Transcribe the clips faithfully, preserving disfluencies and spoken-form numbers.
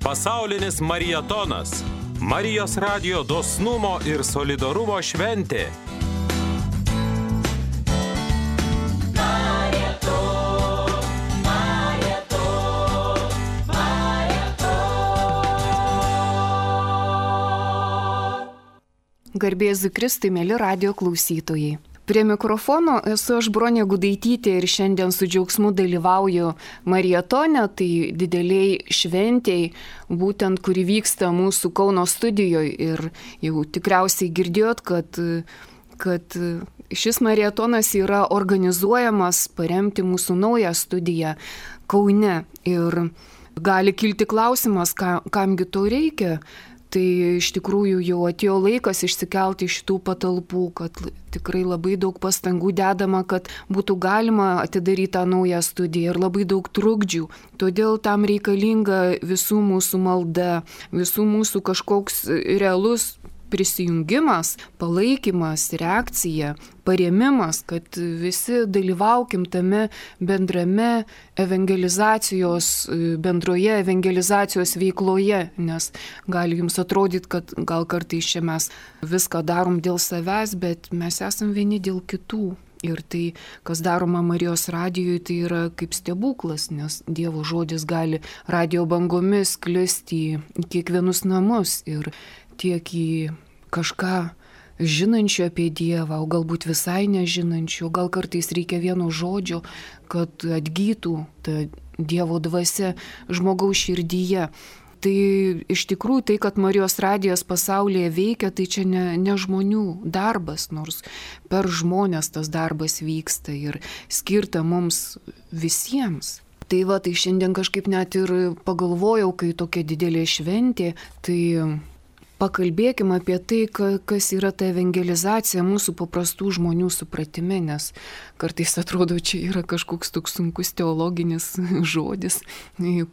Pasaulinis marietonas. Marijos radijo dosnumo ir solidarumo šventė. Garbė Jėzui Kristui, mėly radijo klausytojai. Prie mikrofono esu aš Bronė Gudaitytė ir šiandien su džiaugsmu dalyvauju marietone, tai dideliai šventėjai, būtent kuri vyksta mūsų Kauno studijoje. Ir jau tikriausiai girdėjot, kad, kad šis marietonas yra organizuojamas paremti mūsų naują studiją Kaune. Ir gali kilti klausimas, ka, kamgi to reikia. Tai iš tikrųjų jau atėjo laikas išsikelti iš tų patalpų, kad tikrai labai daug pastangų dedama, kad būtų galima atidaryti tą naują studiją ir labai daug trukdžių. Todėl tam reikalinga visų mūsų malda, visų mūsų kažkoks realus prisijungimas, palaikymas, reakcija, parėmimas, kad visi dalyvaukim tame bendrame evangelizacijos, bendroje evangelizacijos veikloje, nes gali jums atrodyti, kad gal kartais čia mes viską darom dėl savęs, bet mes esam vieni dėl kitų. Ir tai, kas daroma Marijos radijui, tai yra kaip stebuklas, nes Dievo žodis gali radijo bangomis sklisti į kiekvienus namus ir tiek į kažką žinančių apie Dievą, o galbūt visai nežinančių, gal kartais reikia vieno žodžio, kad atgytų ta Dievo dvasia žmogaus širdyje. Tai iš tikrųjų tai, kad Marijos radijas pasaulyje veikia, tai čia ne, ne žmonių darbas, nors per žmonės tas darbas vyksta ir skirta mums visiems. Tai va, tai šiandien kažkaip net ir pagalvojau, kai tokia didelė šventė, tai pakalbėkime apie tai, kas yra ta evangelizacija mūsų paprastų žmonių supratime, nes kartais atrodo, čia yra kažkoks toks sunkus teologinis žodis,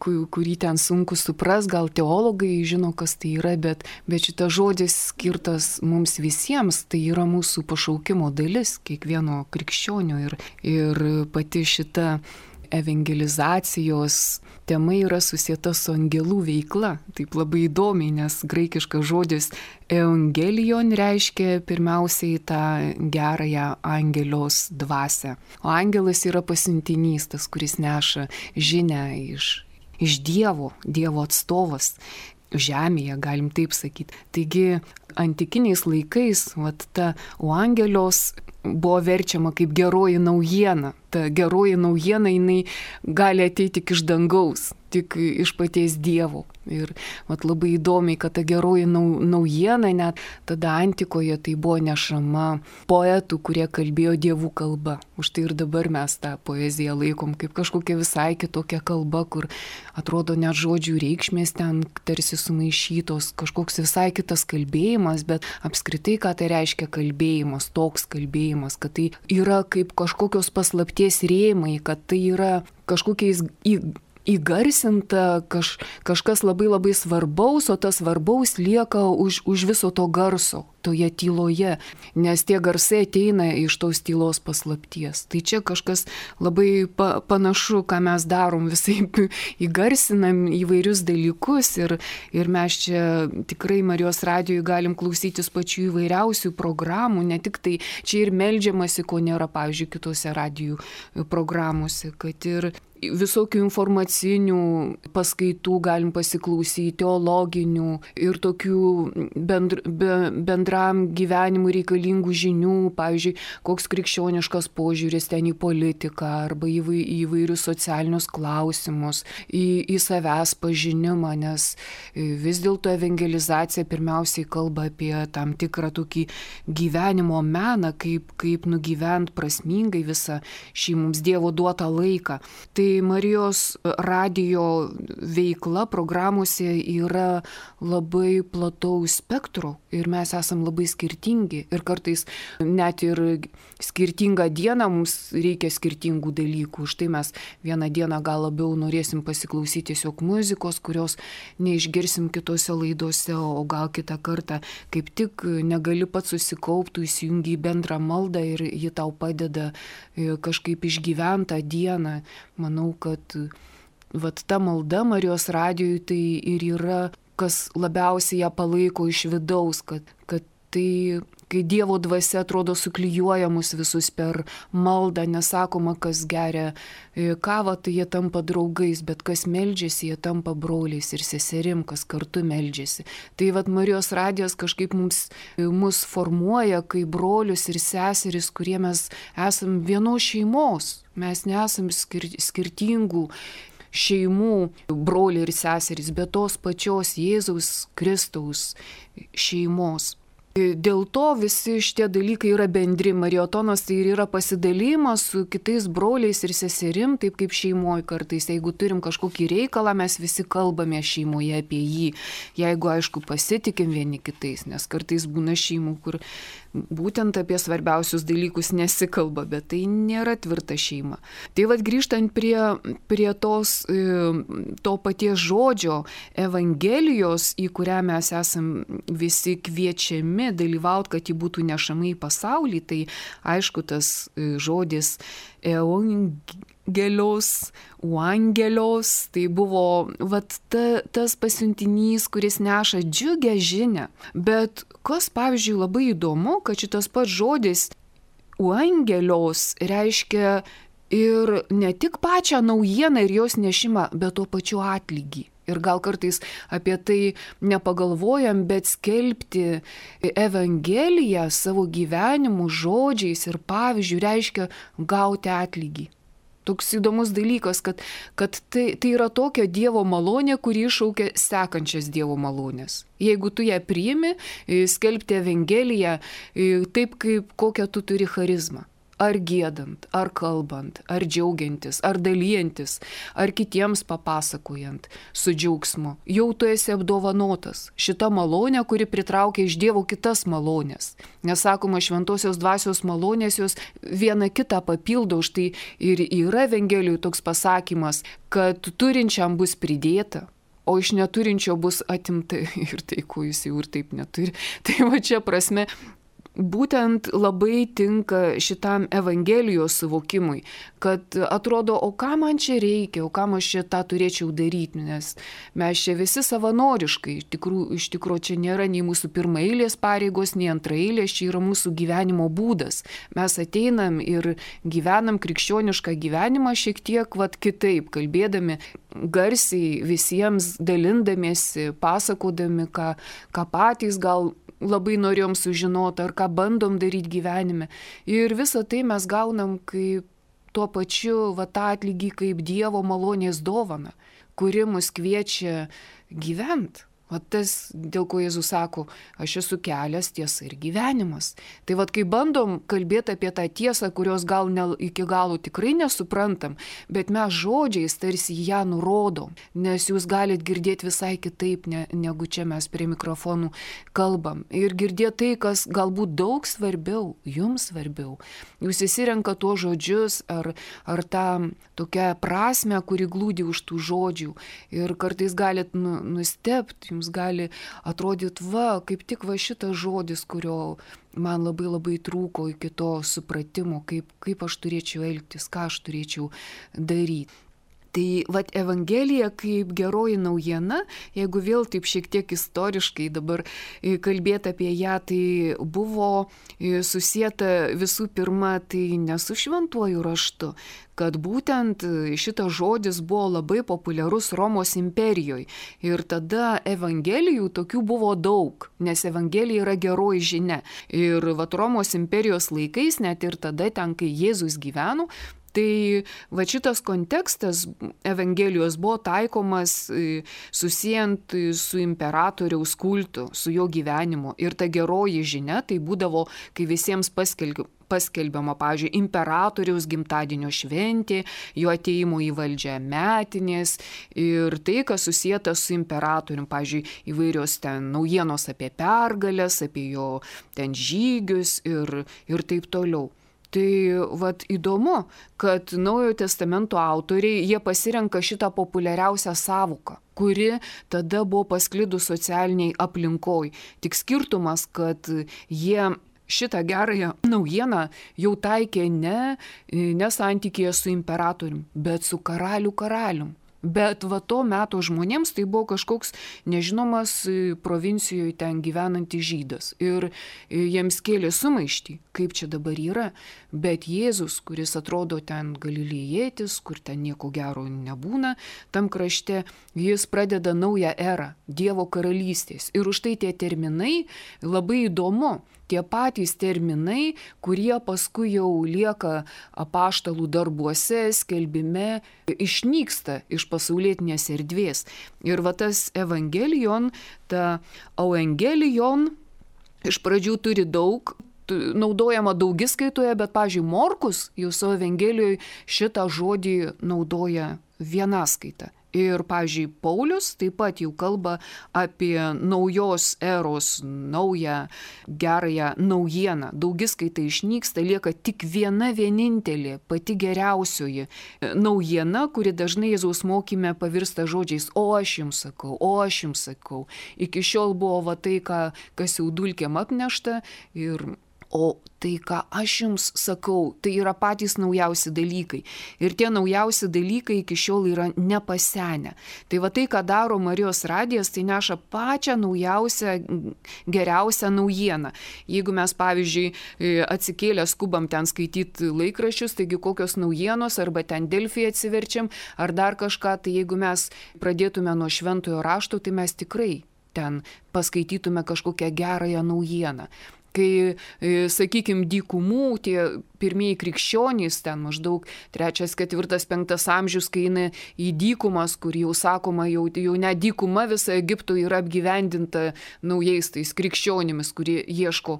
kurį ten sunku supras, gal teologai žino, kas tai yra, bet, bet šitas žodis skirtas mums visiems, tai yra mūsų pašaukimo dalis, kiekvieno krikščionio ir, ir pati šita evangelizacijos tema yra susieta su angelų veikla. Taip labai įdomiai, nes graikiškas žodis evangelion reiškia pirmiausiai tą gerąją angelios dvasią. O angelas yra pasiuntinys, tas, kuris neša žinią iš, iš Dievo, Dievo atstovas. Žemėje, galim taip sakyti. Taigi, antikiniais laikais, vat, ta evangelios buvo verčiama kaip geroji naujiena. Ta geroji naujiena, jinai gali ateiti tik iš dangaus, tik iš paties Dievo. Ir vat, labai įdomiai, kad ta geroji nau, naujiena, net tada antikoje tai buvo nešama poetų, kurie kalbėjo dievų kalba. Už tai ir dabar mes tą poeziją laikom kaip kažkokia visai kitokia kalba, kur atrodo net žodžių reikšmės ten tarsi sumaišytos, kažkoks visai kitas kalbėjimas, bet apskritai, ką tai reiškia kalbėjimas, toks kalbėjimas, kad tai yra kaip kažkokios paslapties rėmai, kad tai yra kažkokiais į įgarsinta kaž, kažkas labai labai svarbaus, o tas svarbaus lieka už, už viso to garso, toje tyloje, nes tie garsai ateina iš tos tylos paslapties. Tai čia kažkas labai pa, panašu, ką mes darom, visai įgarsinam įvairius dalykus ir, ir mes čia tikrai Marijos radijui galim klausytis pačių įvairiausių programų, ne tik tai čia ir meldžiamasi, ko nėra, pavyzdžiui, kitose radijų programuose, kad ir visokių informacinių paskaitų galim pasiklausyti, teologinių ir tokių bendr, be, bendram gyvenimui reikalingų žinių, pavyzdžiui, koks krikščioniškas požiūris ten į politiką arba į įvairius socialinius klausimus, į, į savęs pažinimą, nes vis dėlto evangelizacija pirmiausiai kalba apie tam tikrą tokį gyvenimo meną, kaip, kaip nugyvent prasmingai visą šį mums Dievo duotą laiką. Tai Marijos radijo veikla programuose yra labai plataus spektro ir mes esam labai skirtingi ir kartais net ir skirtingą dieną mums reikia skirtingų dalykų. Štai mes vieną dieną gal labiau norėsim pasiklausyti tiesiog muzikos, kurios neišgirsim kitose laidose, o gal kitą kartą kaip tik negali pats susikaupti, įsijungi į bendrą maldą ir ji tau padeda kažkaip išgyventą dieną. Manau, kad vat ta malda Marijos radijui tai ir yra, kas labiausiai ją palaiko iš vidaus, kad, kad tai, kai Dievo dvasia atrodo suklijuoja mus visus per maldą, nesakoma, kas geria kavą, tai jie tampa draugais, bet kas meldžiasi, jie tampa broliais ir seserim, kas kartu meldžiasi. Tai vat Marijos radijas kažkaip mums, mus formuoja kaip brolius ir seseris, kurie mes esam vienos šeimos, mes nesam skir skirtingų šeimų broliai ir seserys, bet tos pačios Jėzaus Kristaus šeimos. Dėl to visi šitie dalykai yra bendri. Marijotonas tai ir yra pasidalymas su kitais broliais ir seserim, taip kaip šeimoje kartais. Jeigu turim kažkokį reikalą, mes visi kalbame šeimoje apie jį. Jeigu, aišku, pasitikim vieni kitais, nes kartais būna šeimų, kur būtent apie svarbiausius dalykus nesikalba, bet tai nėra tvirta šeima. Tai vad grįžtant prie, prie tos, to paties žodžio Evangelijos, į kurią mes esam visi kviečiami dalyvauti, kad ji būtų nešama į pasaulį, tai aišku tas žodis Evangelios, Uangelios, tai buvo vat, ta, tas pasiuntinys, kuris neša džiugę žinią. Bet kas, pavyzdžiui, labai įdomu, kad šitas pats žodis Uangelios reiškia ir ne tik pačią naujieną ir jos nešimą, bet tuo pačiu atlygį. Ir gal kartais apie tai nepagalvojam, bet skelbti Evangeliją savo gyvenimu, žodžiais ir pavyzdžių reiškia gauti atlygį. Toks įdomus dalykas, kad, kad tai, tai yra tokia Dievo malonė, kuri iššaukia sekančias Dievo malonės. Jeigu tu ją priimi, skelbti Evangeliją taip, kaip kokią tu turi charizmą. Ar giedant, ar kalbant, ar džiaugiantis, ar dalyjantis, ar kitiems papasakojant su džiaugsmu. Jau tu esi apdovanotas. Šita malonė, kuri pritraukia iš Dievo kitas malonės. Nesakoma, šventosios dvasios malonės jos viena kitą papildo, už tai ir yra Evangelijų toks pasakymas, kad turinčiam bus pridėta, o iš neturinčio bus atimta ir tai, ko jis jau ir taip neturi. Tai va čia prasme, būtent labai tinka šitam Evangelijos suvokimui, kad atrodo, o ką man čia reikia, o ką aš čia tą turėčiau daryti, nes mes čia visi savanoriškai, iš tikrųjų, iš tikrųjų čia nėra nei mūsų pirmaeilės pareigos, nei antraeilės, čia yra mūsų gyvenimo būdas. Mes ateinam ir gyvenam krikščionišką gyvenimą šiek tiek vat, kitaip, kalbėdami garsiai visiems, dalindamiesi, pasakodami, ką, ką patys gal labai norėjom sužinoti, ar ką bandom daryti gyvenime. Ir visą tai mes gaunam kaip tuo pačiu va, tą atlygį kaip Dievo malonės dovana, kuri mus kviečia gyventi. O tas, dėl ko Jėzus sako, aš esu kelias, tiesa ir gyvenimas. Tai vad, kai bandom kalbėti apie tą tiesą, kurios gal ne, iki galo tikrai nesuprantam, bet mes žodžiais tarsi ją nurodom, nes jūs galit girdėti visai kitaip, ne, negu čia mes prie mikrofonų kalbam. Ir girdėti tai, kas galbūt daug svarbiau, jums svarbiau. Jūs įsirenka tuos žodžius ar, ar tą tokią prasmę, kuri glūdi už tų žodžių. Ir kartais galit nu, nustebti, jums gali atrodyti, va, kaip tik va šitas žodis, kurio man labai labai trūko iki to supratimo, kaip, kaip aš turėčiau elgtis, ką aš turėčiau daryti. Tai vat Evangelija kaip geroji naujiena, jeigu vėl taip šiek tiek istoriškai dabar kalbėti apie ją, tai buvo susieta visų pirma tai ne su šventuoju raštu, kad būtent šitas žodis buvo labai populiarus Romos imperijoje. Ir tada Evangelijų tokių buvo daug, nes Evangelija yra geroji žinia. Ir vat Romos imperijos laikais, net ir tada ten, kai Jėzus gyveno, tai va šitas kontekstas Evangelijos buvo taikomas susijant su imperatoriaus kultu, su jo gyvenimu. Ir ta geroji žinia tai būdavo, kai visiems paskelbė. paskelbiama, pavyzdžiui, imperatoriaus gimtadienio šventė, jo atėjimo į valdžią metinės ir tai, kas susijęta su imperatorium, pavyzdžiui, įvairios ten naujienos apie pergalės, apie jo ten žygius ir, ir taip toliau. Tai vat įdomu, kad Naujojo testamento autoriai, jie pasirenka šitą populiariausią sąvoką, kuri tada buvo pasklidus socialiniai aplinkoj. Tik skirtumas, kad jie šitą gerąją naujieną jau taikė ne, ne santykėje su imperatorium, bet su karalių karalium. Bet va to meto žmonėms tai buvo kažkoks nežinomas provincijoje ten gyvenantis žydas. Ir jiems kėlė sumaištį, kaip čia dabar yra. Bet Jėzus, kuris atrodo ten galilėjietis, kur ten nieko gero nebūna, tam krašte jis pradeda naują erą Dievo karalystės. Ir už tai tie terminai labai įdomu. Tie patys terminai, kurie paskui jau lieka apaštalų darbuose, skelbime, išnyksta iš pasaulietinės erdvės. Ir va tas evangelion, ta evangelion iš pradžių turi daug, naudojama daugiskaitoje, bet, pavyzdžiui, Morkus jau savo evangelijoje šitą žodį naudoja vienaskaita. Ir, pavyzdžiui, Paulius taip pat jau kalba apie naujos eros, naują, gerąją naujieną. Daugiskaita išnyksta, lieka tik viena vienintelė, pati geriausioji naujiena, kuri dažnai Jėzaus mokyme pavirsta žodžiais o aš jums sakau, o aš jums sakau. Iki šiol buvo va tai, ką, kas jau dulkėm apnešta ir o tai, ką aš jums sakau, tai yra patys naujausi dalykai. Ir tie naujausi dalykai iki šiol yra nepasenę. Tai va tai, ką daro Marijos radijas, tai neša pačią naujausią, geriausią naujieną. Jeigu mes, pavyzdžiui, atsikėlę skubam ten skaityti laikraščius, taigi kokios naujienos, arba ten Delfį atsiverčiam, ar dar kažką, tai jeigu mes pradėtume nuo šventojo rašto, tai mes tikrai ten paskaitytume kažkokią gerąją naujieną. Kai, sakykime, dykumų, tie pirmieji krikščionys, ten maždaug trečias, ketvirtas, penktas amžius, kai eina į dykumas, kur jau sakoma, jau, jau ne dykuma visa Egipto yra apgyvendinta naujais tais krikščionimis, kurie ieško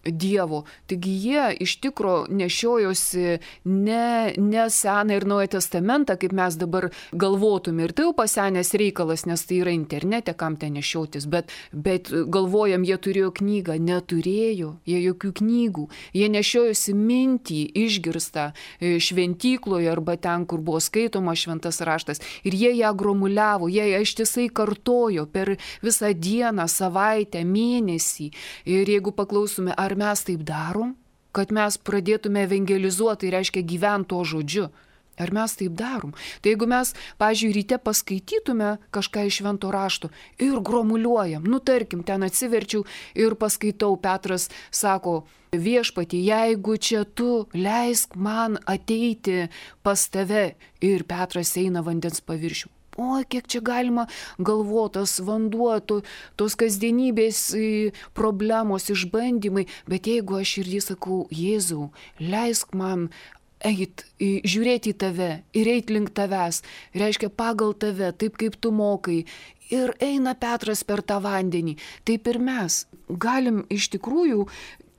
Dievo. Taigi jie iš tikro nešiojosi ne, ne Seną ir Naują testamentą, kaip mes dabar galvotume. Ir tai jau pasenęs reikalas, nes tai yra internete, kam ten nešiotis. Bet, bet galvojam, jie turėjo knygą. Neturėjo jie jokių knygų. Jie nešiojosi mintį išgirstą šventykloje arba ten, kur buvo skaitoma šventas raštas. Ir jie ją gromuliavo, jie ją ištisai kartojo per visą dieną, savaitę, mėnesį. Ir jeigu paklausume, ar mes taip darom, kad mes pradėtume evangelizuoti, tai reiškia gyventi to žodžiu. Ar mes taip darom? Tai jeigu mes, pavyzdžiui, ryte paskaitytume kažką iš švento rašto ir gromuliuojam, nu tarkim, ten atsiverčiau ir paskaitau, Petras sako, viešpatie, jeigu čia tu leisk man ateiti pas tave, ir Petras eina vandens paviršių. O, kiek čia galima galvotas, vanduo, to, tos kasdienybės problemos, išbandymai, bet jeigu aš ir jį sakau, Jėzau, leisk man eit, žiūrėti į tave ir eit link tavęs, reiškia pagal tave, taip kaip tu mokai, ir eina Petras per tą vandenį, taip ir mes galim iš tikrųjų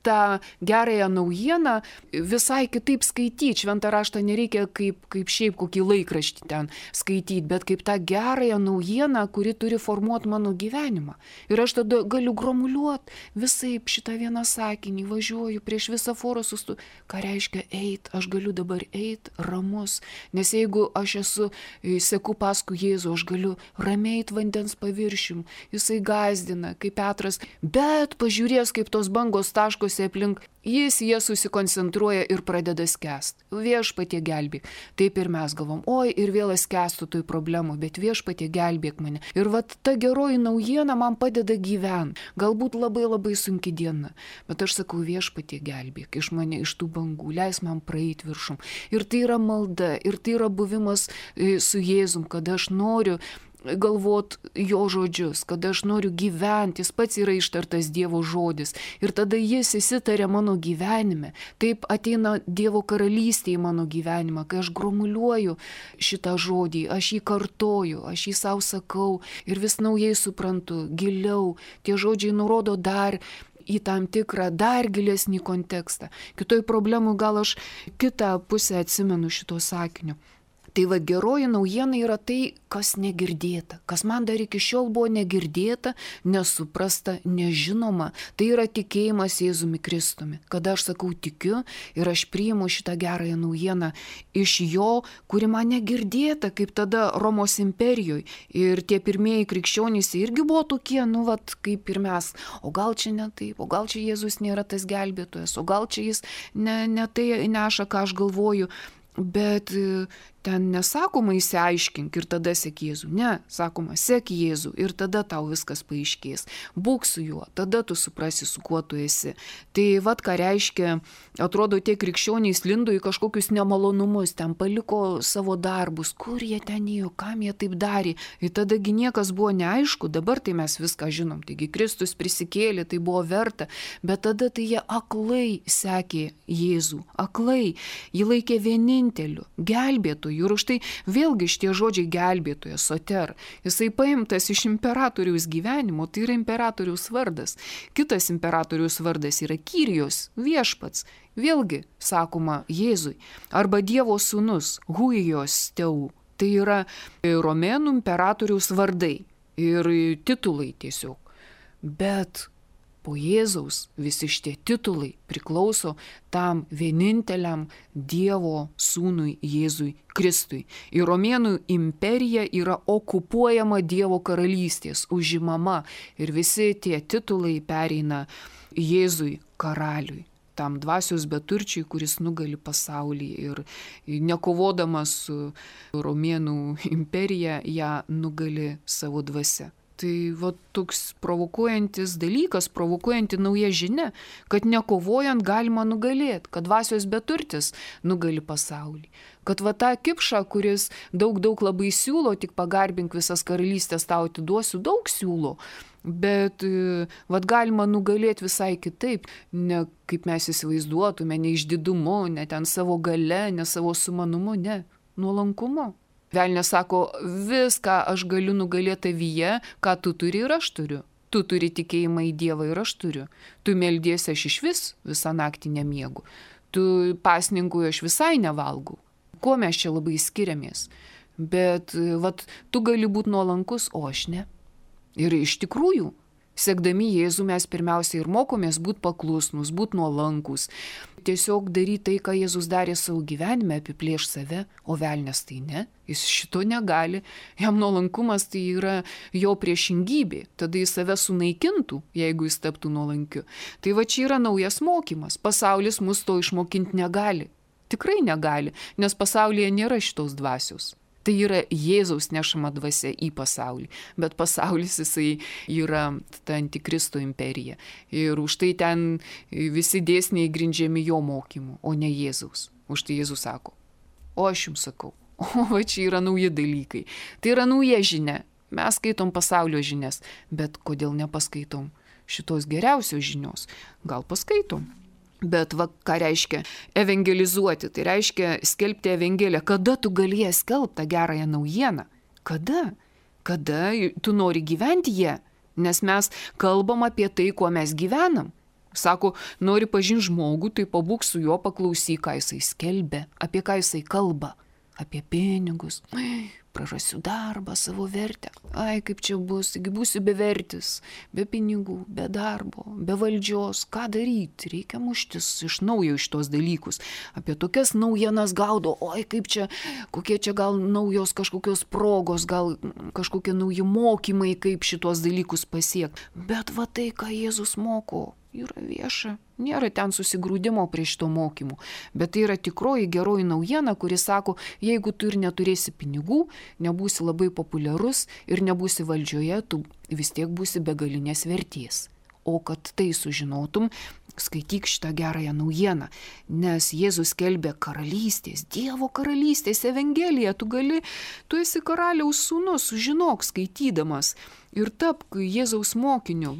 tą gerąją naujieną visai kitaip skaityti. Šventą raštą nereikia kaip, kaip šiaip kokį laikraštį ten skaityti, bet kaip tą gerąją naujieną, kuri turi formuoti mano gyvenimą. Ir aš tada galiu gromuliuoti visaip šitą vieną sakinį, važiuoju prieš visą forą sustu. Ką reiškia eit? Aš galiu dabar eit ramus, nes jeigu aš esu, seku paskui Jėzų, aš galiu ramiai eit vandens paviršium. Jisai gazdina, kaip Petras, bet pažiūrės, kaip tos bangos taškos aplink, jis jie susikoncentruoja ir pradeda skęst. Viešpatie gelbėk. Taip ir mes galvom, oi, ir vėl skęstu toj problemų, bet viešpatie gelbėk mane. Ir vat ta geroji naujiena man padeda gyventi. Galbūt labai labai sunki diena, bet aš sakau, viešpatie gelbėk iš mane, iš tų bangų, leis man praeiti viršum. Ir tai yra malda, ir tai yra buvimas su Jėzum, kada aš noriu galvot jo žodžius, kad aš noriu gyventi, jis pats yra ištartas Dievo žodis. Ir tada jis įsitarė mano gyvenime. Taip ateina Dievo karalystė į mano gyvenimą, kai aš gromuliuoju šitą žodį, aš jį kartoju, aš jį savo sakau ir vis naujai suprantu, giliau. Tie žodžiai nurodo dar į tam tikrą, dar gilesnį kontekstą. Kitoj problemų gal aš kitą pusę atsimenu šito sakinio. Tai va, geroji naujiena yra tai, kas negirdėta, kas man dar iki šiol buvo negirdėta, nesuprasta, nežinoma. Tai yra tikėjimas Jėzumi Kristumi. Kada aš sakau tikiu ir aš priimu šitą gerąją naujieną iš jo, kuri man negirdėta, kaip tada Romos imperijoje. Ir tie pirmieji krikščionys irgi buvo tokie, nu vat, kaip ir mes. O gal čia ne taip, o gal čia Jėzus nėra tas gelbėtojas, o gal čia jis ne, ne tai neša, ką aš galvoju. Bet ten nesakoma įsiaiškink ir tada sek Jėzų. Ne, sakoma, sek Jėzų ir tada tau viskas paaiškės. Būk su juo, tada tu suprasi, su kuo tu esi. Tai vat ką reiškia, atrodo, tie krikščioniai lindo į kažkokius nemalonumus, ten paliko savo darbus, kur jie ten ėjo, kam jie taip darė. Ir tadagi niekas buvo neaišku, dabar tai mes viską žinom. Taigi Kristus prisikėlė, tai buvo verta, bet tada tai jie aklai sekė Jėzų, aklai. Jį laikė vieninteliu, gelbėtoju. Ir už tai vėlgi šitie žodžiai gelbėtojas, soter. Jisai paimtas iš imperatoriaus gyvenimo, tai yra imperatoriaus vardas. Kitas imperatoriaus vardas yra Kyrijos, viešpats. Vėlgi, sakoma, Jėzui. Arba Dievo sūnus, Huijos teu. Tai yra romėnų imperatoriaus vardai ir titulai tiesiog. Bet po Jėzaus visi šitie titulai priklauso tam vieninteliam Dievo sūnui Jėzui Kristui. Ir romėnų imperija yra okupuojama Dievo karalystės, užimama ir visi tie titulai pereina Jėzui karaliui. Tam dvasios beturčiui, kuris nugali pasaulį ir nekovodamas su romėnų imperija, ją nugali savo dvasia. Tai va toks provokuojantis dalykas, provokuojanti nauja žinia, kad nekovojant galima nugalėti, kad dvasios beturtis nugali pasaulį. Kad va tą kipšą, kuris daug daug labai siūlo, tik pagarbink visas karalystės tau atiduosiu, daug siūlo. Bet vat galima nugalėti visai kitaip, ne kaip mes įsivaizduotume, ne išdidumu, ne ten savo gale, ne savo sumanumu, ne, nuolankumu. Velnias sako, viską aš galiu nugalėti tavyje, ką tu turi ir aš turiu. Tu turi tikėjimą į Dievą ir aš turiu. Tu meldiesi, aš iš vis visą naktį nemiegu. Tu pasninkui aš visai nevalgau. Kuo mes čia labai skiriamės? Bet vat, tu gali būti nuolankus, o aš ne. Ir iš tikrųjų, sekdami Jėzų mes pirmiausia ir mokomės būti paklusnus, būti nuolankus. Tiesiog daryti tai, ką Jėzus darė savo gyvenime, apiplėš save, o velnias tai ne. Jis šito negali. Jam nuolankumas tai yra jo priešingybė. Tada jis save sunaikintų, jeigu jis taptų nuolankiu. Tai va čia yra naujas mokymas. Pasaulis mus to išmokinti negali. Tikrai negali, nes pasaulyje nėra šitos dvasios. Tai yra Jėzaus nešama dvasia į pasaulį, bet pasaulis jisai yra ta antikristo imperija. Ir už tai ten visi dėsniai grindžiami jo mokymu, o ne Jėzaus. Už tai Jėzus sako, o aš jums sakau, o va čia yra nauji dalykai. Tai yra nauja žinia. Mes skaitom pasaulio žinias, bet kodėl nepaskaitom šitos geriausios žinios? Gal paskaitom? Bet va, ką reiškia evangelizuoti, tai reiškia skelbti evangeliją. Kada tu galėjai skelbti tą gerąją naujieną? Kada? Kada tu nori gyventi ją? Nes mes kalbam apie tai, kuo mes gyvenam. Sako, nori pažinti žmogų, tai pabūk su juo, paklausyk, ką jisai skelbia, apie ką jisai kalba. Apie pinigus. Prarasiu darbą, savo vertę. Ai, kaip čia bus, taigi būsiu bevertis, be pinigų, be darbo, be valdžios. Ką daryti? Reikia muštis iš naujo iš tos dalykus. Apie tokias naujienas gaudo, oi, kaip čia, kokie čia gal naujos kažkokios progos, gal kažkokie nauji mokymai, kaip šitos dalykus pasiekti. Bet va tai, ką Jėzus moko, yra vieša. Nėra ten susigrūdimo prie šito mokymų, bet tai yra tikroji geroji naujiena, kuri sako, jeigu tu ir neturėsi pinigų, nebūsi labai populiarus ir nebūsi valdžioje, tu vis tiek būsi begalinės vertės. O kad tai sužinotum, skaityk šitą gerąją naujieną, nes Jėzus skelbė karalystės, Dievo karalystės evangeliją, tu gali, tu esi karaliaus sūnus, sužinok skaitydamas ir tapk Jėzaus mokiniu.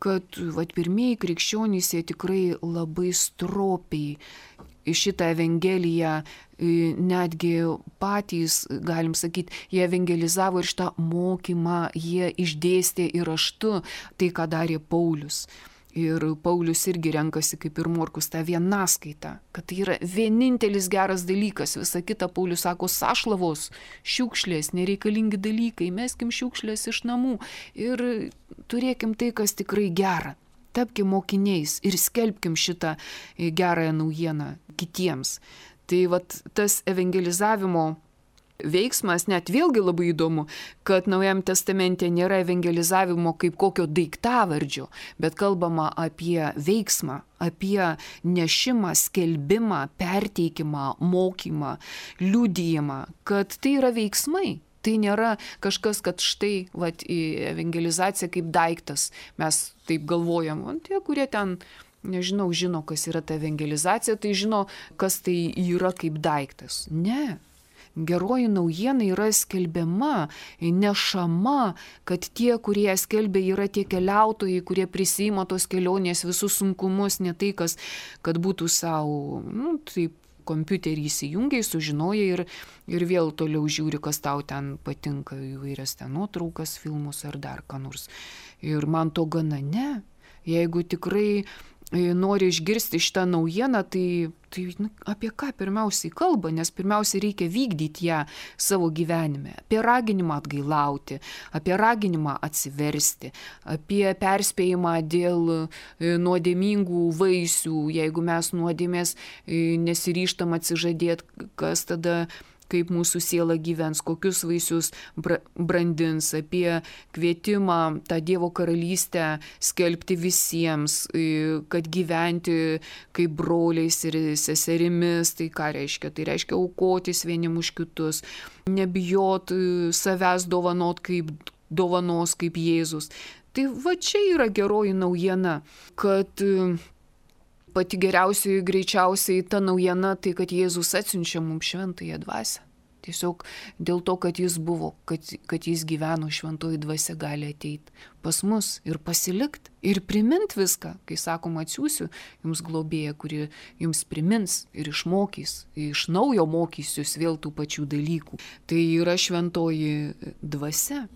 Kad vat, pirmieji krikščionys jie tikrai labai stropiai šitą evangeliją netgi patys, galim sakyti, jie evangelizavo ir šitą mokymą, jie išdėstė ir raštu tai, ką darė Paulius. Ir Paulius irgi renkasi kaip ir Morkus tą vienaskaitą, kad tai yra vienintelis geras dalykas. Visa kita Paulius sako, sašlavos, šiukšlės, nereikalingi dalykai, meskim šiukšlės iš namų ir turėkim tai, kas tikrai gera. Tapkim mokiniais ir skelbkim šitą gerąją naujieną kitiems. Tai vat tas evangelizavimo veiksmas, net vėlgi labai įdomu, kad Naujajame testamente nėra evangelizavimo kaip kokio daiktavardžio, bet kalbama apie veiksmą, apie nešimą, skelbimą, perteikimą, mokymą, liudijimą, kad tai yra veiksmai. Tai nėra kažkas, kad štai vat, evangelizacija kaip daiktas. Mes taip galvojam, o tie, kurie ten, nežinau, žino, kas yra ta evangelizacija, tai žino, kas tai yra kaip daiktas. Ne. Geroji naujiena yra skelbiama, nešama, kad tie, kurie skelbia, yra tie keliautojai, kurie prisima tos kelionės visus sunkumus, ne tai, kas, kad būtų savo, nu, taip, kompiuterį įsijungiai, sužinojai ir, ir vėl toliau žiūri, kas tau ten patinka, įvairias ten nuotraukas, filmus ar dar ką nors. Ir man to gana ne. Jeigu tikrai nori išgirsti šitą naujieną, tai, tai nu, apie ką pirmiausiai kalba, nes pirmiausiai reikia vykdyti ją savo gyvenime. Apie raginimą atgailauti, apie raginimą atsiversti, apie perspėjimą dėl nuodėmingų vaisių, jeigu mes nuodėmės nesiryžtam atsižadėti, kas tada, kaip mūsų siela gyvens, kokius vaisius brandins, apie kvietimą tą Dievo karalystę skelbti visiems, kad gyventi kaip broliais ir seserimis, tai ką reiškia? Tai reiškia aukotis vieniem už kitus, nebijot savęs dovanot kaip dovanos, kaip Jėzus. Tai va čia yra geroji naujiena, kad pati geriausiai, greičiausiai ta naujiena, tai kad Jėzus atsiunčia mums šventąją dvasią. Tiesiog dėl to, kad jis buvo, kad, kad jis gyveno, šventoji dvasia gali ateiti pas mus ir pasilikti ir primint viską. Kai sakom, atsiųsiu jums globėją, kuri jums primins ir išmokys, iš naujo mokysius vėl tų pačių dalykų. Tai yra šventoji dvasia.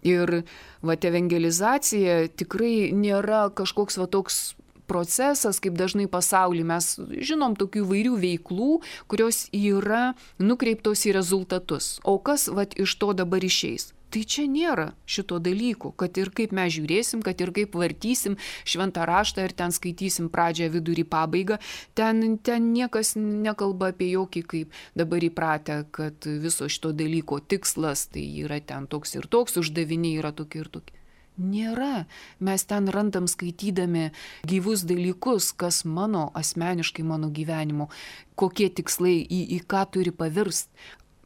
Ir va, evangelizacija tikrai nėra kažkoks va toks procesas, kaip dažnai pasaulyje mes žinom tokių įvairių veiklų, kurios yra nukreiptos į rezultatus. O kas vat, iš to dabar išeis? Tai čia nėra šito dalyko, kad ir kaip mes žiūrėsim, kad ir kaip vartysim šventą raštą ir ten skaitysim pradžią, vidurį, pabaigą, ten, ten niekas nekalba apie jokį kaip dabar įpratę, kad viso šito dalyko tikslas tai yra ten toks ir toks, uždaviniai yra tokie ir tokie. Nėra. Mes ten randam skaitydami gyvus dalykus, kas mano asmeniškai mano gyvenimo, kokie tikslai, į, į ką turi pavirst.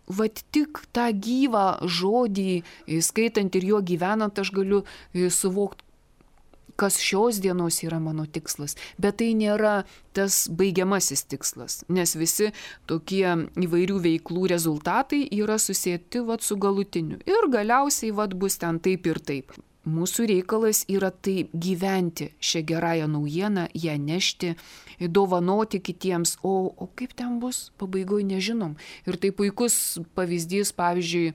Vat tik tą gyvą žodį, skaitant ir juo gyvenant, aš galiu suvokti, kas šios dienos yra mano tikslas. Bet tai nėra tas baigiamasis tikslas, nes visi tokie įvairių veiklų rezultatai yra susėti vat, su galutiniu. Ir galiausiai vat, bus ten taip ir taip. Mūsų reikalas yra taip gyventi šią gerąją naujieną, ją nešti, dovanoti kitiems, o, o kaip ten bus, pabaigoje nežinom. Ir tai puikus pavyzdys, pavyzdžiui,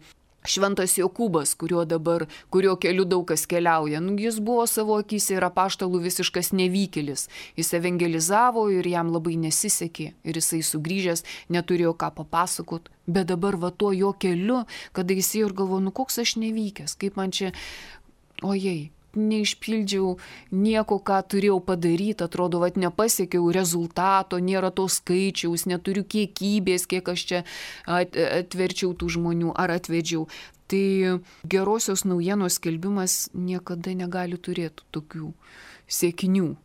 Šventas Jokūbas, kurio dabar, kurio keliu daug kas keliauja. Nu, jis buvo savo akyse ir apaštalų visiškas nevykėlis. Jis evangelizavo ir jam labai nesisekė. Ir jisai sugrįžęs neturėjo ką papasakot. Bet dabar va tuo jo keliu, kada jis ir galvo, nu koks aš nevykęs, kaip man čia... Ojei, neišpildžiau nieko, ką turėjau padaryti, atrodo, vat nepasiekiau rezultato, nėra to skaičiaus, neturiu kiekybės, kiek aš čia atverčiau tų žmonių ar atvedžiau. Tai gerosios naujienos skelbimas niekada negali turėti tokių sėkinių.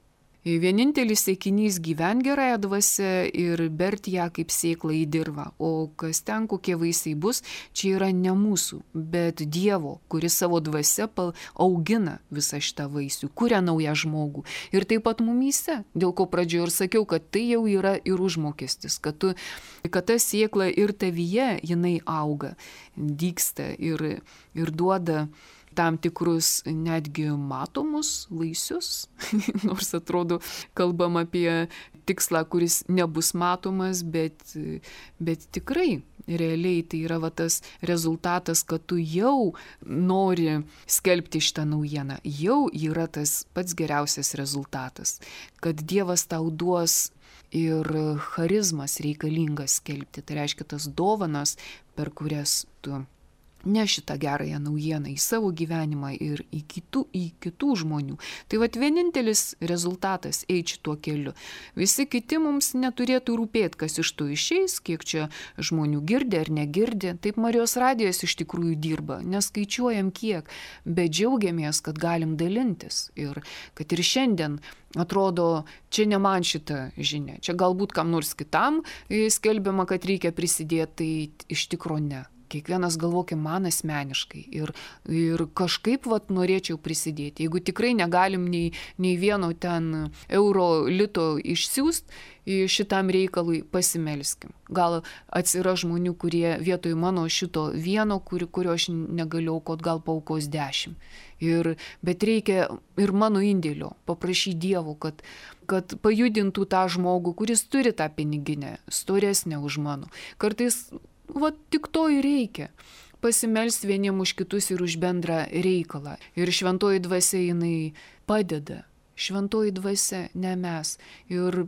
Vienintelis siekinys gyven gerąją dvasią ir bert ją kaip sėklą į dirvą. O kas ten, kokie vaisiai bus, čia yra ne mūsų, bet Dievo, kuris savo dvasia augina visą šitą vaisių, kuria naują žmogų. Ir taip pat mumyse, dėl ko pradžioje ir sakiau, kad tai jau yra ir užmokestis, kad, tu, kad ta sėkla ir tavyje jinai auga, dygsta ir, ir duoda tam tikrus netgi matomus vaisius, nors atrodo kalbam apie tikslą, kuris nebus matomas, bet, bet tikrai realiai tai yra va tas rezultatas, kad tu jau nori skelbti šitą naujieną, jau yra tas pats geriausias rezultatas, kad Dievas tau duos ir charizmas reikalingas skelbti, tai reiškia tas dovanas, per kurias tu ne šitą gerąją naujieną į savo gyvenimą ir į kitų, į kitų žmonių. Tai vat vienintelis rezultatas eiti šituo keliu. Visi kiti mums neturėtų rūpėti, kas iš to išeis, kiek čia žmonių girdi ar negirdi. Taip Marijos radijas iš tikrųjų dirba, neskaičiuojam kiek, bet džiaugiamės, kad galim dalintis. Ir kad ir šiandien atrodo, čia ne man šita žinia, čia galbūt kam nors kitam skelbiama, kad reikia prisidėti, tai iš tikro ne. Kiekvienas galvokim man asmeniškai ir, ir kažkaip vat norėčiau prisidėti. Jeigu tikrai negalim nei, nei vieno ten euro lito išsiųsti šitam reikalui, pasimelskim. Gal atsiras žmonių, kurie vietoj mano šito vieno, kur, kurio aš negaliu aukot, gal paaukos dešimt. Ir, bet reikia ir mano indėlio, paprašyti Dievo, kad, kad pajudintų tą žmogų, kuris turi tą piniginę, storesnę už mano. Kartais vat tik to ir reikia. Pasimelsti vieniem už kitus ir už bendrą reikalą. Ir šventoji dvasia jinai padeda. Šventoji dvasia, ne mes. Ir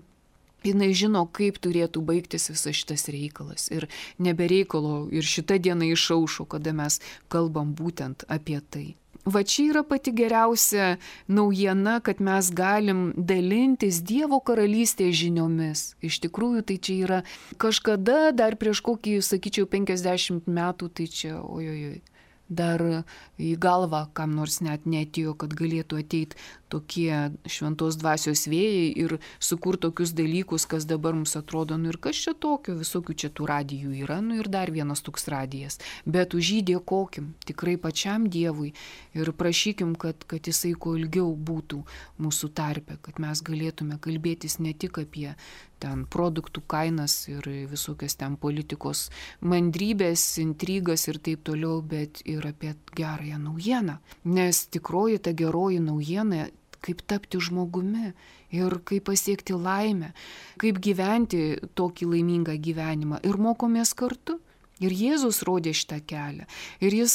jinai žino, kaip turėtų baigtis visas šitas reikalas. Ir nebereikalo ir šitą dieną išaušo, kada mes kalbam būtent apie tai. Va čia yra pati geriausia naujiena, kad mes galim dalintis Dievo karalystės žiniomis. Iš tikrųjų, tai čia yra kažkada, dar prieš kokį, sakyčiau, penkiasdešimt metų, tai čia, ojojoj, dar į galvą kam nors net neatėjo, kad galėtų ateiti tokie šventos dvasios vėjai ir sukurti tokius dalykus, kas dabar mums atrodo, nu ir kas čia tokio, visokių čia tų radijų yra, nu ir dar vienas toks radijas. Bet už jį dėkokim tikrai pačiam Dievui ir prašykim, kad, kad jisai kuo ilgiau būtų mūsų tarpe, kad mes galėtume kalbėtis ne tik apie ten produktų kainas ir visokias ten politikos mandrybės, intrigas ir taip toliau, bet ir apie gerąją naujieną. Nes tikroji ta geroji naujiena, kaip tapti žmogumi ir kaip pasiekti laimę, kaip gyventi tokį laimingą gyvenimą. Ir mokomės kartu. Ir Jėzus rodė šitą kelią. Ir jis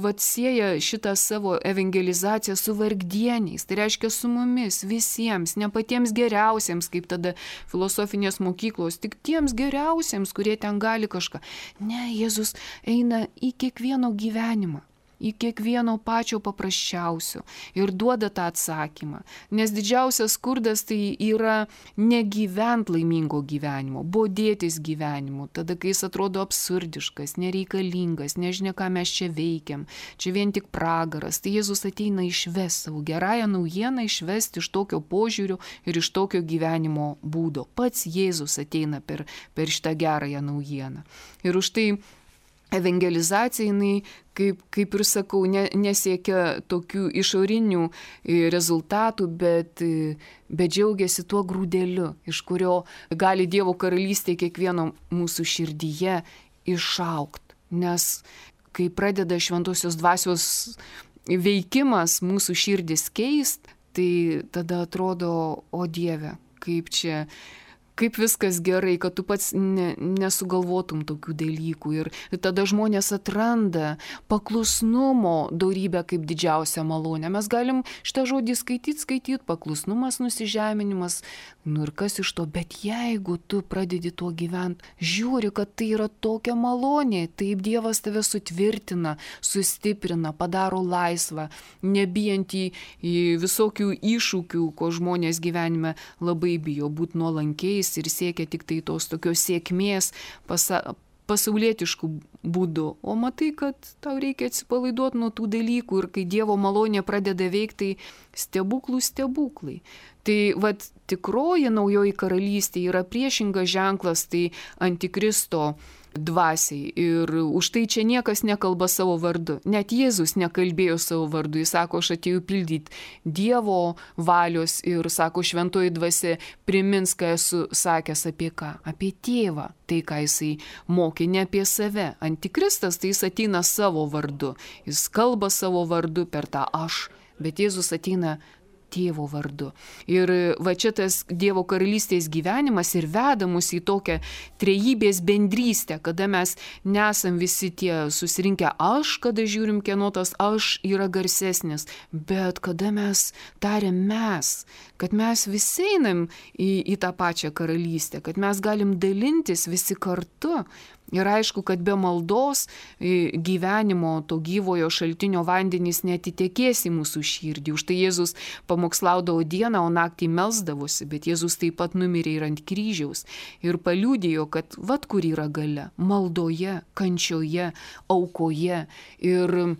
vat sieja šitą savo evangelizaciją su vargdieniais. Tai reiškia su mumis, visiems, ne patiems geriausiems, kaip tada filosofinės mokyklos, tik tiems geriausiems, kurie ten gali kažką. Ne, Jėzus eina į kiekvieno gyvenimą. Į kiekvieno pačio paprasčiausio ir duoda tą atsakymą. Nes didžiausias skurdas tai yra negyvent laimingo gyvenimo, bodėtis gyvenimu, tada kai jis atrodo absurdiškas, nereikalingas, nežinia, ką mes čia veikiam, čia vien tik pragaras. Tai Jėzus ateina išvesti savo gerąją naujieną, išvesti iš tokio požiūrio ir iš tokio gyvenimo būdo. Pats Jėzus ateina per, per šitą gerąją naujieną. Ir už tai evangelizacija, jinai, kaip, kaip ir sakau, ne, nesiekia tokių išorinių rezultatų, bet, bet džiaugiasi tuo grūdeliu, iš kurio gali Dievo karalystė kiekvieno mūsų širdyje išaugti. Nes kai pradeda šventosios dvasios veikimas mūsų širdis keist, tai tada atrodo, o Dieve, kaip čia... kaip viskas gerai, kad tu pats ne, nesugalvotum tokių dalykų. Ir tada žmonės atranda paklusnumo dorybę kaip didžiausią malonę. Mes galim šitą žodį skaityti, skaityti, paklusnumas, nusižeminimas, nu ir kas iš to. Bet jeigu tu pradedi tuo gyventi, žiūri, kad tai yra tokia malonė, taip Dievas tave sutvirtina, sustiprina, padaro laisvą, nebijant į, į visokių iššūkių, ko žmonės gyvenime labai bijo, būti nuolankiais ir siekia tik tai tos tokios sėkmės pasa, pasaulietiškų būdų. O matai, kad tau reikia atsipalaiduoti nuo tų dalykų ir kai Dievo malonė pradeda veikti, tai stebuklų stebuklai. Tai vat tikroji naujoji karalystė yra priešingas ženklas, tai antikristo dvasiai. Ir už tai čia niekas nekalba savo vardu. Net Jėzus nekalbėjo savo vardu. Jis sako, aš atėjau pildyti Dievo valios ir sako, šventoji dvasia primins, ką esu sakęs apie ką? Apie tėvą. Tai, ką jisai mokė, ne apie save. Antikristas, tai jis ateina savo vardu. Jis kalba savo vardu per tą aš. Bet Jėzus ateina Tėvo vardu. Ir va čia tas Dievo karalystės gyvenimas ir veda mus į tokią trejybės bendrystę, kada mes nesam visi tie susirinkę aš, kada žiūrim, kieno tas aš yra garsesnis, bet kada mes tariam mes, kad mes visi einam į, į tą pačią karalystę, kad mes galim dalintis visi kartu Ir aišku, kad be maldos gyvenimo to gyvojo šaltinio vandenys netitekės į mūsų širdį. Už tai Jėzus pamokslaudavo dieną, o naktį melsdavosi, bet Jėzus taip pat numirė ir ant kryžiaus. Ir paliudijo, kad vat kur yra galia - maldoje, kančioje, aukoje. Ir,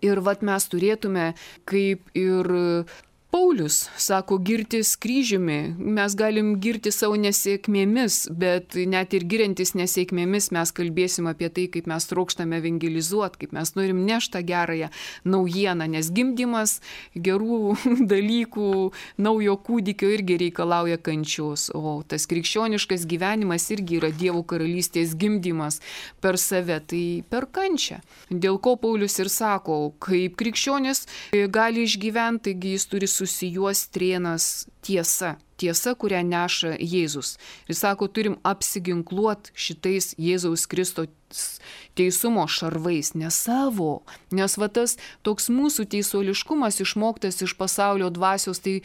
ir vat mes turėtume kaip ir Paulius sako girtis kryžiumi, mes galim girti savo nesėkmėmis, bet net ir giriantis nesėkmėmis mes kalbėsim apie tai, kaip mes trokštame evangelizuoti, kaip mes norim nešti tą gerąją naujieną, nes gimdymas gerų dalykų, naujo kūdikio irgi reikalauja kančios, o tas krikščioniškas gyvenimas irgi yra Dievo karalystės gimdymas per save, tai per kančią. Dėl ko Paulius ir sako, kaip krikščionis gali išgyventi, taigi jis turi susijuos trėnas tiesa, tiesa, kurią neša Jėzus. Ir sako, turim apsiginkluoti šitais Jėzaus Kristaus teisumo šarvais, ne savo, nes va tas toks mūsų teisuoliškumas išmoktas iš pasaulio dvasios, tai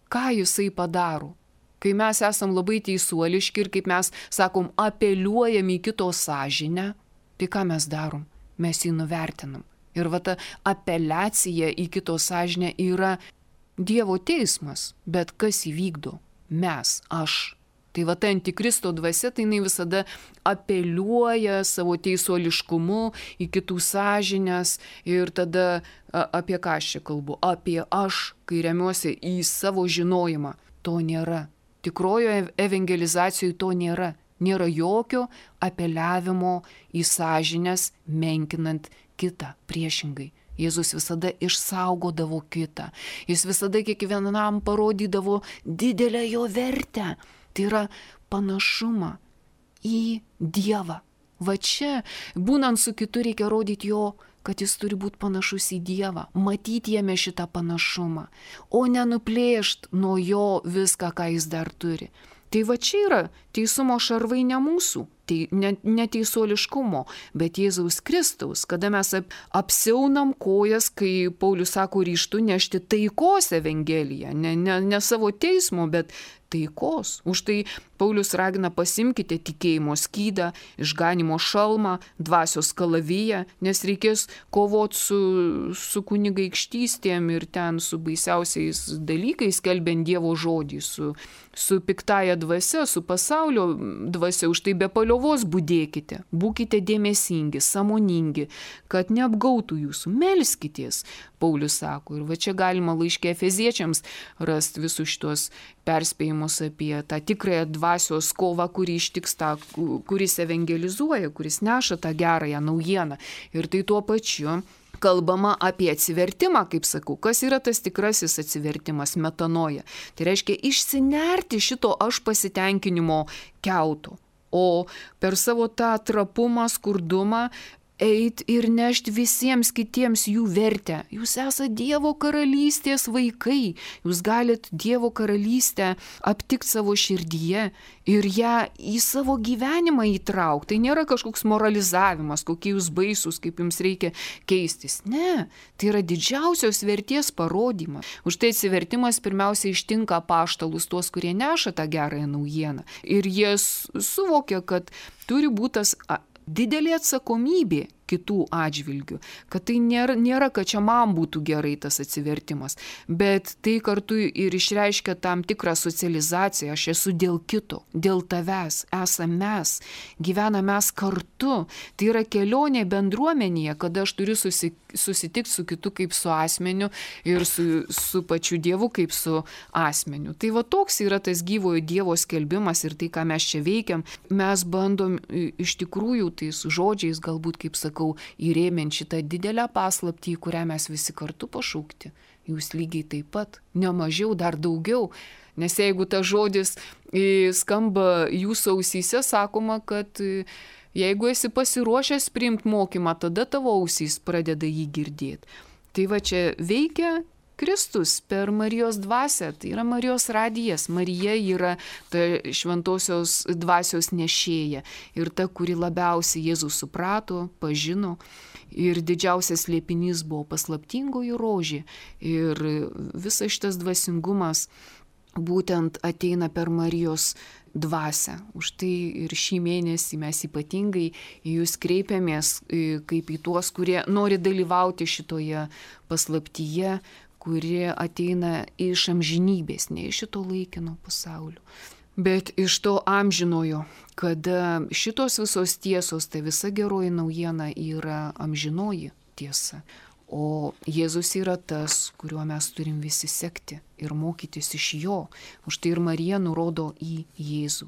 ką jisai padaro? Kai mes esam labai teisuoliški ir kaip mes, sakom, apeliuojam į kito sąžinę, tai ką mes darom? Mes jį nuvertinam. Ir va ta apeliacija į kito sąžinę yra Dievo teismas, bet kas įvykdo? Mes, aš. Tai va ta antikristo dvasia, tai jinai visada apeliuoja savo teisuoliškumu į kitų sąžinės ir tada a, apie ką aš čia kalbu? Apie aš, kai remiuosi į savo žinojimą. To nėra. Tikrojo evangelizacijoje to nėra. Nėra jokio apeliavimo į sąžinės, menkinant kitą priešingai. Jėzus visada išsaugodavo kitą. Jis visada kiekvienam parodydavo didelę jo vertę. Tai yra panašumą į Dievą. Va čia, būnant su kitu, reikia rodyti jo, kad jis turi būti panašus į Dievą. Matyti jame šitą panašumą. O nenuplėšti nuo jo viską, ką jis dar turi. Tai va čia yra teisumo šarvai ne mūsų. Tai neteisuoliškumo, bet Jėzaus Kristaus, kada mes apsiaunam kojas, kai Paulius sako ryžtu nešti taikos evangeliją, ne, ne, ne savo teismo, bet taikos. Už tai Paulius ragina pasimkite tikėjimo skydą, išganimo šalmą, dvasios kalaviją, nes reikės kovoti su, su kunigaikštystėm ir ten su baisiausiais dalykais, skelbiant Dievo žodį, su, su piktaja dvasia, su pasaulio dvasia. Už tai be paliovos budėkite, būkite dėmesingi, sąmoningi, kad neapgautų jūsų, melskitės, Paulius sako. Ir va čia galima laiške Efeziečiams rasti visus šitos perspėjimus apie tą tikrąją dvasios kovą, kuri ištiks tą, kuris evangelizuoja, kuris neša tą gerąją naujieną. Ir tai tuo pačiu kalbama apie atsivertimą, kaip sakau. Kas yra tas tikrasis atsivertimas? Metanoja. Tai reiškia išsinerti šito aš pasitenkinimo kiauto. O per savo tą trapumą, skurdumą eit ir nešti visiems kitiems jų vertę. Jūs esate Dievo karalystės vaikai. Jūs galit Dievo karalystę aptikti savo širdyje ir ją į savo gyvenimą įtraukti. Tai nėra kažkoks moralizavimas, kokie jūs baisus, kaip jums reikia keistis. Ne, tai yra didžiausios vertės parodymas. Už tai atsivertimas pirmiausia ištinka apaštalus, tuos, kurie neša tą gerąją naujieną. Ir jie suvokia, kad turi būti tas didelė atsakomybė kitų atžvilgių, kad tai nėra, nėra, kad čia man būtų gerai tas atsivertimas, bet tai kartu ir išreiškia tam tikrą socializaciją, aš esu dėl kito, dėl tavęs, esame mes, gyvename mes kartu, tai yra kelionė bendruomenėje, kada aš turiu susi, susitikti su kitu kaip su asmeniu ir su, su pačiu Dievu kaip su asmeniu. Tai va toks yra tas gyvojo Dievo skelbimas ir tai, ką mes čia veikiam, mes bandom iš tikrųjų tai su žodžiais galbūt, kaip sakau, įrėmint šitą didelę paslaptį, į kurią mes visi kartu pašaukti. Jūs lygiai taip pat, ne mažiau, dar daugiau. Nes jeigu tas žodis skamba jūsų ausyse, sakoma, kad jeigu esi pasiruošęs priimti mokymą, tada tavo ausys pradeda jį girdėti. Tai va čia veikia Kristus per Marijos dvasią, tai yra Marijos radijas. Marija yra ta šventosios dvasios nešėja ir ta, kuri labiausiai Jėzų suprato, pažino. Ir didžiausias slėpinys buvo paslaptingoji rožė. Ir visas šitas dvasingumas būtent ateina per Marijos dvasią. Už tai ir šį mėnesį mes ypatingai į jūs kreipiamės kaip į tuos, kurie nori dalyvauti šitoje paslaptyje, kuri ateina iš amžinybės, ne iš šito laikino pasaulio, bet iš to amžinojo, kada šitos visos tiesos, tai visa geroji naujiena yra amžinoji tiesa. O Jėzus yra tas, kuriuo mes turim visi sekti ir mokytis iš jo. Už tai ir Marija nurodo į Jėzų.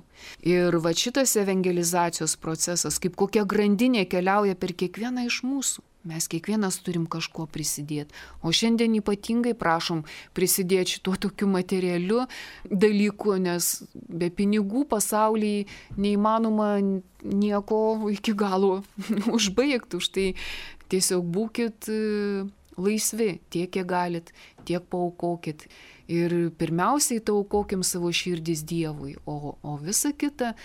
Ir va šitas evangelizacijos procesas, kaip kokia grandinė keliauja per kiekvieną iš mūsų. Mes kiekvienas turim kažko prisidėti. O šiandien ypatingai prašom prisidėti šituo tokiu materialiu dalyku, nes be pinigų pasaulyje neįmanoma nieko iki galo užbaigti. Už tai tiesiog būkit laisvi, tiek kiek galit, tiek paaukokit. Ir pirmiausiai taukokim savo širdis Dievui, o, o visa kita,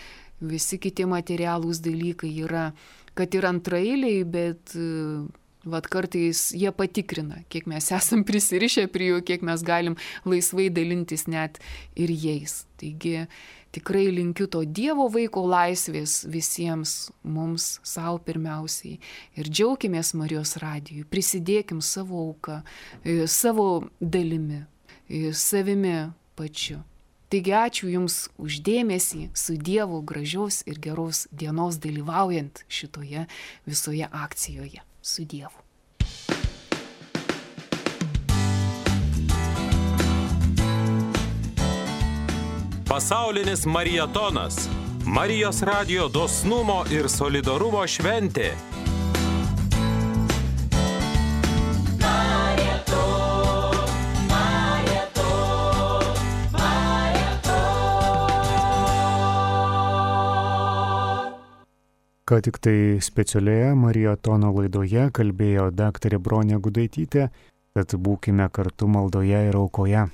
visi kiti materialūs dalykai yra, kad ir antraeiliai, bet vat kartais jie patikrina, kiek mes esam prisirišę prie jų, kiek mes galim laisvai dalintis net ir jais. Taigi tikrai linkiu to Dievo vaiko laisvės visiems, mums, savo pirmiausiai. Ir džiaukimės Marijos radijui, prisidėkim savo auką, savo dalimi, savimi pačiu. Taigi ačiū Jums už dėmesį, su Dievu gražios ir geros dienos dalyvaujant šitoje visoje akcijoje. Su Dievu. Pasaulinis mariatonas. Marijos radijo dosnumo ir solidarumo šventė. Ką tik tai specialioje mariatono laidoje kalbėjo daktarė Bronė Gudaitytė, tad būkime kartu maldoje ir aukoje.